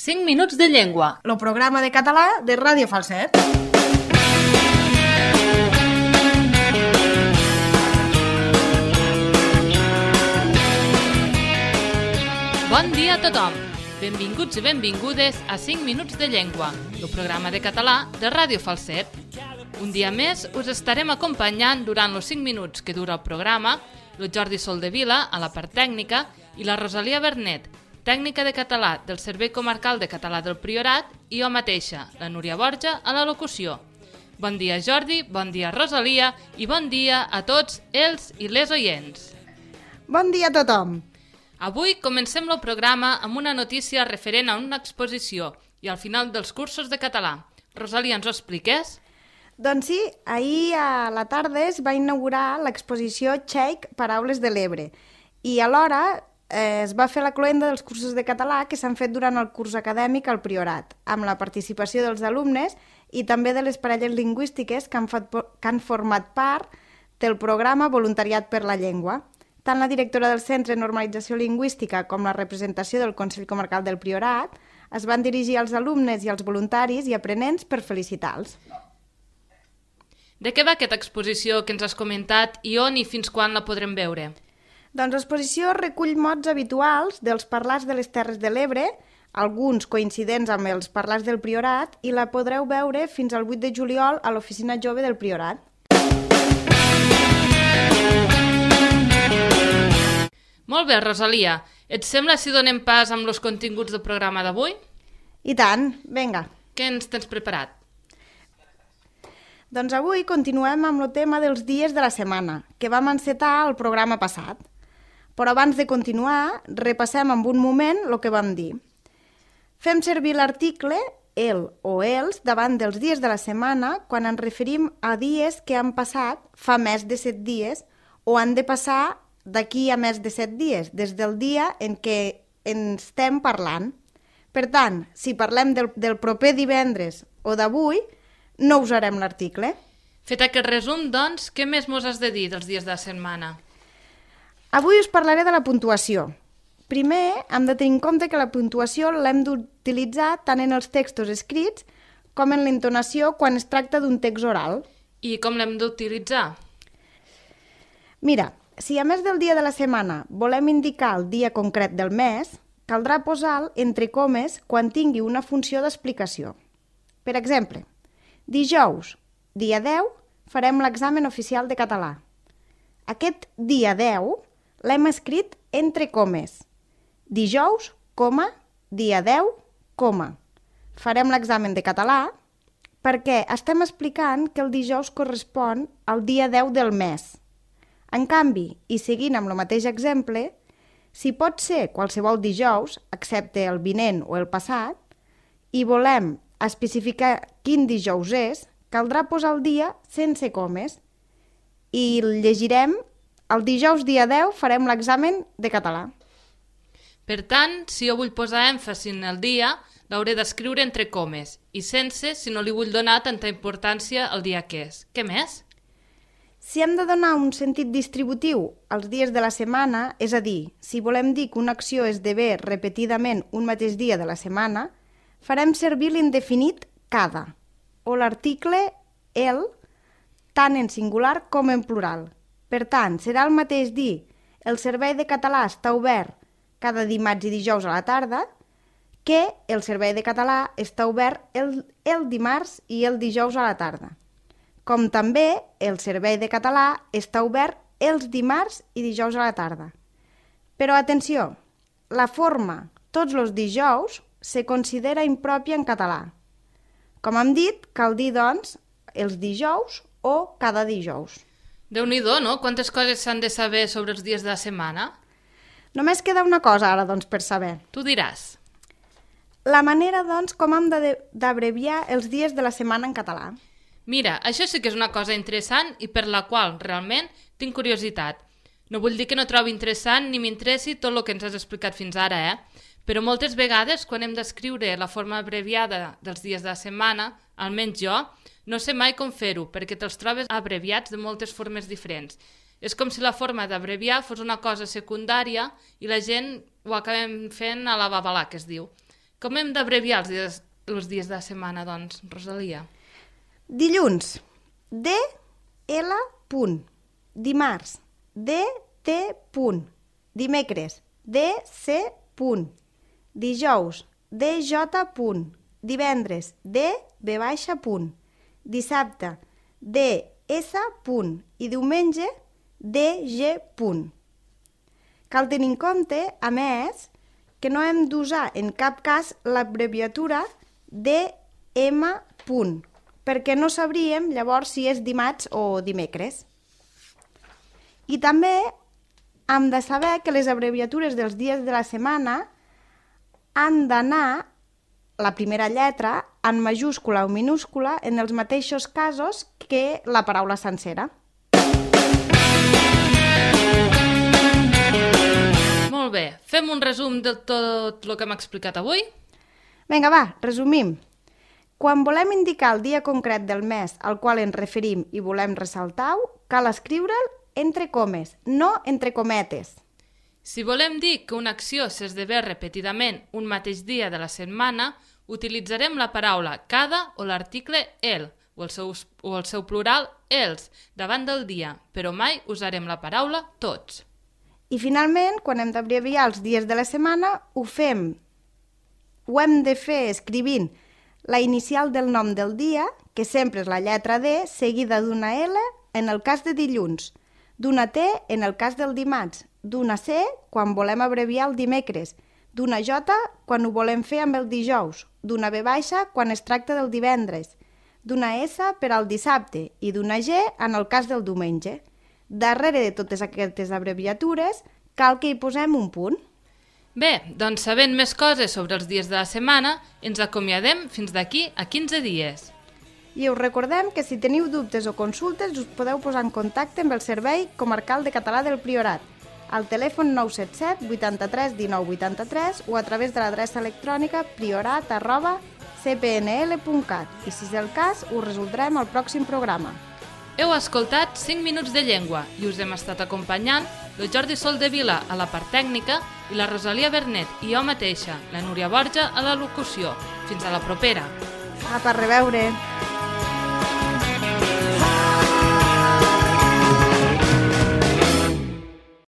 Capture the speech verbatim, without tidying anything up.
cinc minuts de llengua. El programa de català de Ràdio Falset. Bon dia a tothom. Benvinguts i benvingudes a cinc minuts de llengua, el programa de català de Ràdio Falset. Un dia més us estarem acompanyant durant els cinc minuts que dura el programa el Jordi Soldevila a la part tècnica i la Rosalia Bernet, tècnica de català del Servei Comarcal de Català del Priorat, i jo mateixa, la Núria Borja, a la locució. Bon dia Jordi, bon dia Rosalia i bon dia a tots els i les oients. Bon dia a tothom. Avui comencem el programa amb una notícia referent a una exposició i al final dels cursos de català. Rosalia, ens ho expliques? Doncs sí, ahir a la tarda es va inaugurar l'exposició Txec Paraules de l'Ebre i alhora eh, es va fer la cloenda dels cursos de català que s'han fet durant el curs acadèmic al Priorat, amb la participació dels alumnes i també de les parelles lingüístiques que han, fet, que han format part del programa Voluntariat per la Llengua. Tant la directora del Centre de Normalització Lingüística com la representació del Consell Comarcal del Priorat es van dirigir als alumnes i als voluntaris i aprenents per felicitar-los. De què va aquesta exposició que ens has comentat i on i fins quan la podrem veure? Doncs l'exposició recull mots habituals dels parlars de les Terres de l'Ebre, alguns coincidents amb els parlars del Priorat, i la podreu veure fins al vuit de juliol a l'Oficina Jove del Priorat. Molt bé, Rosalia. Et sembla si donem pas amb els continguts del programa d'avui? I tant, vinga. Què ens tens preparat? Doncs avui continuem amb el tema dels dies de la setmana, que vam encetar el programa passat. Però abans de continuar, repassem en un moment el que vam dir. Fem servir l'article el o els davant dels dies de la setmana quan ens referim a dies que han passat fa més de set dies o han de passar d'aquí a més de set dies, des del dia en què en estem parlant. Per tant, si parlem del, del proper divendres o d'avui, no usarem l'article. Fet aquest resum, doncs, què més mos has de dir dels dies de la setmana? Avui us parlaré de la puntuació. Primer, hem de tenir en compte que la puntuació l'hem d'utilitzar tant en els textos escrits com en l'entonació quan es tracta d'un text oral. I com l'hem d'utilitzar? Mira, si a més del dia de la setmana volem indicar el dia concret del mes, caldrà posar-lo entre comes quan tingui una funció d'explicació. Per exemple, dijous, dia deu, farem l'examen oficial de català. Aquest dia deu l'hem escrit entre comes. Dijous, coma, dia deu, coma. Farem l'examen de català perquè estem explicant que el dijous correspon al dia deu del mes. En canvi, i seguint amb el mateix exemple, si pot ser qualsevol dijous, excepte el vinent o el passat, i volem especificar quin dijous és, caldrà posar el dia sense comes. I llegirem, el dijous dia deu farem l'examen de català. Per tant, si jo vull posar èmfasi en el dia, l'hauré d'escriure entre comes, i sense si no li vull donar tanta importància al dia que és. Què més? Si hem de donar un sentit distributiu als dies de la setmana, és a dir, si volem dir que una acció esdevé repetidament un mateix dia de la setmana, farem servir l'indefinit cada, o l'article el, tant en singular com en plural. Per tant, serà el mateix dir el servei de català està obert cada dimarts i dijous a la tarda que el servei de català està obert el, el dimarts i el dijous a la tarda. Com també el servei de català està obert els dimarts i dijous a la tarda. Però atenció, la forma tots els dijous se considera impròpia en català. Com hem dit, cal dir, doncs, els dijous o cada dijous. Déu-n'hi-do, no? Quantes coses s'han de saber sobre els dies de la setmana? Només queda una cosa ara, doncs, per saber. Tu diràs. La manera, doncs, com hem d'abreviar els dies de la setmana en català. Mira, això sí que és una cosa interessant i per la qual realment tinc curiositat. No vull dir que no trobi interessant ni m'interessi tot el que ens has explicat fins ara, eh? Però moltes vegades, quan hem d'escriure la forma abreviada dels dies de la setmana, almenys jo, no sé mai com fer-ho, perquè te'ls trobes abreviats de moltes formes diferents. És com si la forma d'abreviar fos una cosa secundària i la gent ho acabem fent a la babalà, que es diu. Com hem d'abreviar els dies, els dies de la setmana, doncs, Rosalia? Dilluns, D, L, punt. Dimarts, D, T, punt. Dimecres, D, C, punt. Dijous, D, J, punt. Divendres, D, B, baixa, punt. Dissabte, D, S, punt. I diumenge, D, G, punt. Cal tenir en compte, a més, que no hem d'usar en cap cas l'abreviatura D, M, punt, perquè no sabríem llavors si és dimarts o dimecres. I també hem de saber que les abreviatures dels dies de la setmana han d'anar la primera lletra en majúscula o minúscula en els mateixos casos que la paraula sencera. Molt bé, fem un resum de tot el que hem explicat avui? Vinga, va, resumim. Quan volem indicar el dia concret del mes al qual ens referim i volem ressaltar-ho, cal escriure'l entre comes, no entre cometes. Si volem dir que una acció s'esdevé repetidament un mateix dia de la setmana, utilitzarem la paraula cada o l'article el, o el seu, o el seu plural els, davant del dia, però mai usarem la paraula tots. I finalment, quan hem d'abreviar els dies de la setmana, ho fem, ho hem de fer escrivint la inicial del nom del dia, que sempre és la lletra D, seguida d'una L en el cas de dilluns, d'una T en el cas del dimarts, d'una C quan volem abreviar el dimecres, d'una J quan ho volem fer amb el dijous, d'una B baixa quan es tracta del divendres, d'una S per al dissabte i d'una G en el cas del diumenge. Darrere de totes aquestes abreviatures cal que hi posem un punt. Bé, doncs sabent més coses sobre els dies de la setmana, ens acomiadem fins d'aquí a quinze dies. I us recordem que si teniu dubtes o consultes us podeu posar en contacte amb el Servei Comarcal de Català del Priorat, al telèfon nou set set vuitanta-tres dinou vuitanta-tres o a través de l'adreça electrònica priorat arroba c p n l punt cat i, si és el cas, ho resoldrem al pròxim programa. Heu escoltat cinc minuts de llengua i us hem estat acompanyant el Jordi Soldevila a la part tècnica i la Rosalia Bernet i jo mateixa, la Núria Borja, a la locució. Fins a la propera. Apa, a reveure!